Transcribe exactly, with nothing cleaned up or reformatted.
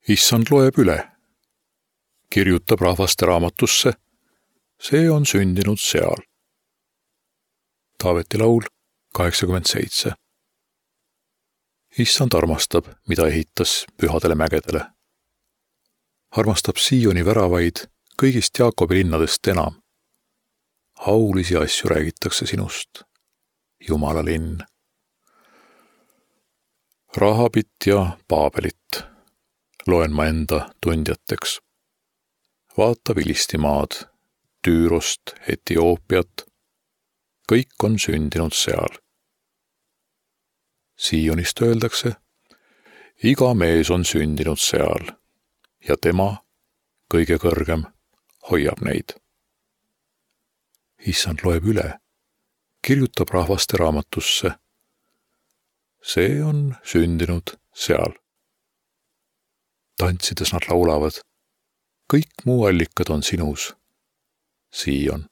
Issand loeb üle, kirjutab rahvaste raamatusse, see on sündinud seal. Taaveti laul kaheksakümmend seitse. Issand armastab, mida ehitas pühadele mägedele. Armastab Sioni väravaid kõigist Jaakobi linnadest enam. Aulisi asju räägitakse sinust, Jumala linn. Rahabit ja Paabelit loen ma enda tundjateks. Vaata Filistimaad, Tüürost, Etioopiat, kõik on sündinud seal. Sionist öeldakse, iga mees on sündinud seal ja tema, kõige kõrgem, hoiab neid. Issand loeb üle, kirjutab rahvaste raamatusse, see on sündinud seal. Tantsides nad laulavad, kõik muu allikad on sinus, Sion.